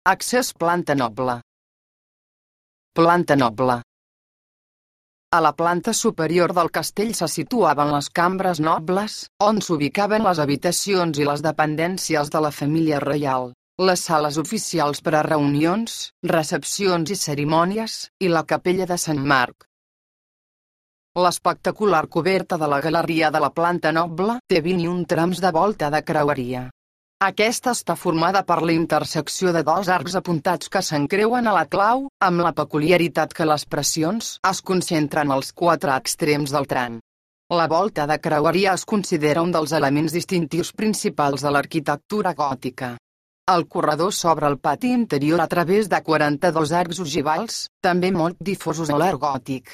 Accés planta noble. Planta noble. A la planta superior del castell se situaven les cambres nobles, on s'ubicaven les habitacions i les dependències de la família reial, les sales oficials per a reunions, recepcions i cerimònies, i la capella de Sant Marc. L'espectacular coberta de la galeria de la planta noble té 21 trams de volta de creueria. Aquesta està formada per la intersecció de dos arcs apuntats que s'encreuen a la clau, amb la peculiaritat que les pressions es concentren als 4 extrems del tram. La volta de creueria es considera un dels elements distintius principals de l'arquitectura gòtica. El corredor s'obre al pati interior a través de 42 arcs ogivals, també molt difosos a l'art gòtic.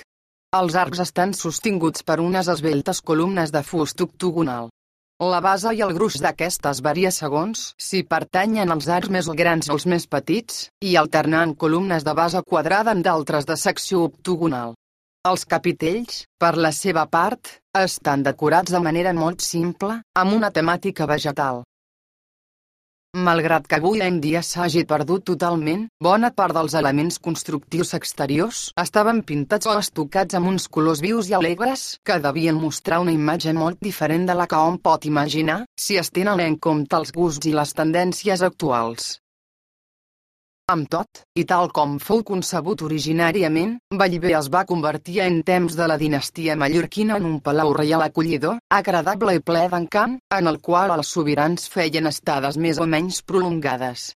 Els arcs estan sostinguts per unes esveltes columnes de fust octogonal. La base i el gruix d'aquestes varia segons si pertanyen als arcs més grans o els més petits, i alternant columnes de base quadrada amb d'altres de secció octogonal. Els capitells, per la seva part, estan decorats de manera molt simple, amb una temàtica vegetal. Malgrat que avui en dia s'hagi perdut totalment, bona part dels elements constructius exteriors estaven pintats o estucats amb uns colors vius i alegres que devien mostrar una imatge molt diferent de la que hom pot imaginar si es tenen en compte els gusts i les tendències actuals. Amb tot, i tal com fou concebut originàriament, Bellver es va convertir en temps de la dinastia mallorquina en un palau reial acollidor, agradable i ple d'encant, en el qual els sobirans feien estades més o menys prolongades.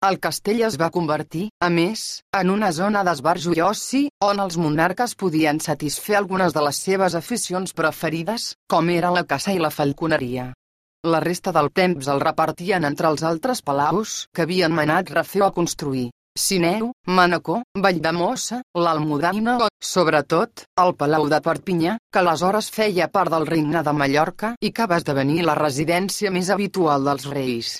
El castell es va convertir, a més, en una zona d'esbarjo i oci, on els monarques podien satisfer algunes de les seves aficions preferides, com eren la caça i la falconeria. La resta del temps el repartien entre els altres palaus que havien manat refer o construir: Sineu, Manacor, Valldemossa, l'Almudaina o, sobretot, el Palau de Perpinyà, que aleshores feia part del regne de Mallorca i que va esdevenir la residència més habitual dels reis.